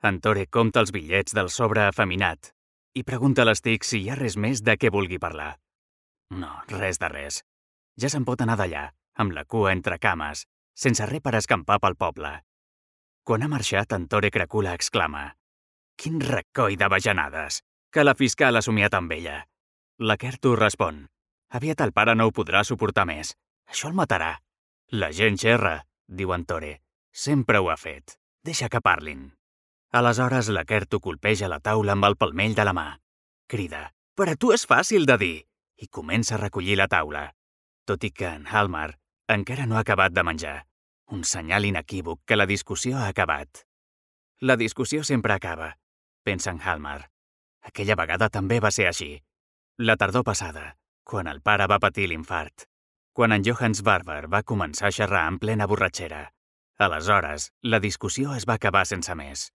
En Tore compta els bitllets del sobre afeminat i pregunta a l'Stig si hi ha res més de què vulgui parlar. No, res de res. Ja se'n pot anar d'allà, amb la cua entre cames, sense res per escampar pel poble. Quan ha marxat, en Tore Cracula exclama: «Quin recoll de bajanades! Que la fiscal ha somiat amb ella!» La Kertu respon: «Aviat el pare no ho podrà suportar més. Això el matarà». «La gent xerra», diu en Tore. «Sempre ho ha fet. Deixa que parlin». Aleshores la Kertu colpeja la taula amb el palmell de la mà. Crida: «Per a tu és fàcil de dir!» i comença a recollir la taula, tot i que en Halmar encara no ha acabat de menjar. Un senyal inequívoc que la discussió ha acabat. La discussió sempre acaba, pensa en Halmar. Aquella vegada també va ser així. La tardor passada, quan el pare va patir l'infart. Quan en Johans Barber va començar a xerrar en plena borratxera. Aleshores, la discussió es va acabar sense més.